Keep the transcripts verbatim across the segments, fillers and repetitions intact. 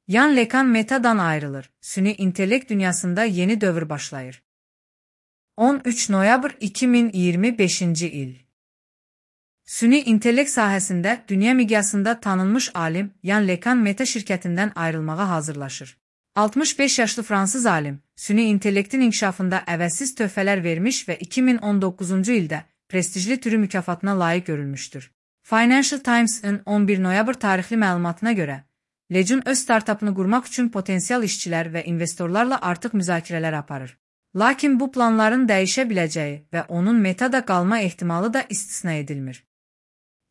Yann LeCun Meta'dan ayrılır. Süni intellekt dünyasında yeni dövr başlayır. on üç noyabr iki min iyirmi beşinci il. Süni intellekt sahəsində dünya miqyasında tanınmış alim Yann LeCun Meta şirkətindən ayrılmağa hazırlaşır. altmış beş yaşlı Fransız alim, süni intellektin inkişafında əvəzsiz töhfələr vermiş və iki min on doqquzuncu ildə prestijli türü mükafatına layiq görülmüşdür. Financial Times-ın on bir noyabr tarixli məlumatına görə, LeCun öz startapını qurmaq üçün potensial işçilər və investorlarla artıq müzakirələr aparır. Lakin bu planların dəyişə biləcəyi və onun Metada qalma ehtimalı da istisna edilmir.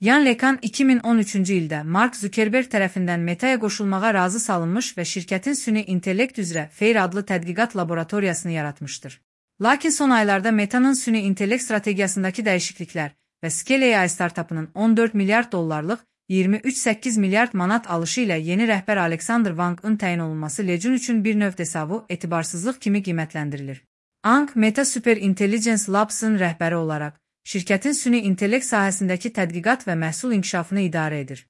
Yann LeCun iki min on üçüncü ildə Mark Zuckerberg tərəfindən Metaya qoşulmağa razı salınmış və şirkətin süni intellekt üzrə Fair adlı tədqiqat laboratoriyasını yaratmışdır. Lakin son aylarda Meta'nın süni intellekt strategiyasındakı dəyişikliklər və Scale A I startapının on dörd milyard dollarlıq iyirmi üç nöqtə səkkiz milyard manat alışı ilə yeni rəhbər Alexander Wang'ın təyin olunması LeCun üçün bir növ desavu etibarsızlıq kimi qiymətləndirilir. Wang, Meta Super Intelligence Labs-ın rəhbəri olaraq, şirkətin süni intellekt sahəsindəki tədqiqat və məhsul inkişafını idarə edir.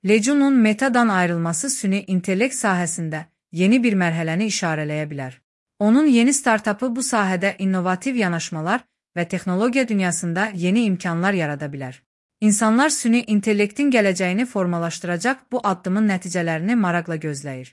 LeCun'un Meta'dan ayrılması süni intellekt sahəsində yeni bir mərhələni işarələyə bilər. Onun yeni startapı bu sahədə innovativ yanaşmalar və texnologiya dünyasında yeni imkanlar yarada bilər. İnsanlar süni intellektin gələcəyini formalaşdıracaq bu addımın nəticələrini maraqla gözləyir.